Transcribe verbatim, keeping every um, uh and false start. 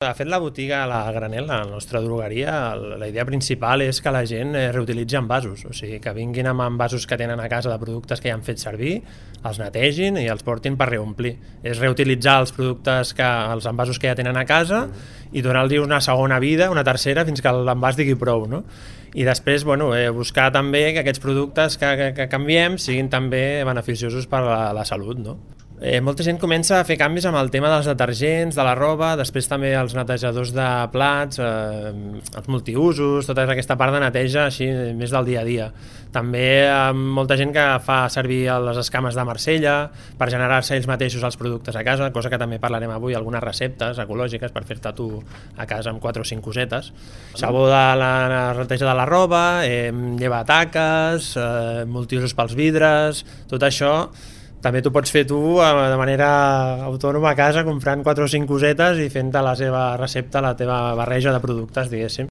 De fet, la botiga, la granel, la nostra drogueria, la idea principal és que la gent reutilitzi envasos, o sigui, que vinguin amb envasos que tenen a casa de productes que ja han fet servir, els netegin i els portin per reomplir. És reutilitzar els productes, que, els envasos que ja tenen a casa i donar-los una segona vida, una tercera, fins que l'envàs digui prou, no? I després, bueno, eh, buscar també que aquests productes que, que, que canviem siguin també beneficiosos per a la, la salut, no? Eh, molta gent comença a fer canvis amb el tema dels detergents, de la roba, després també els netejadors de plats, eh, els multiusos, tota aquesta part de neteja així més del dia a dia. També eh, molta gent que fa servir les escames de Marsella per generar-se ells mateixos els productes a casa, cosa que també parlarem avui, algunes receptes ecològiques per fer-te tu a casa amb quatre o cinc cosetes. Sabó de la neteja de la roba, eh, llevataques, eh, multiusos pels vidres, tot això també t'ho pots fer tu de manera autònoma a casa, comprant quatre o cinc cosetes i fent-te la seva recepta, la teva barreja de productes, diguéssim.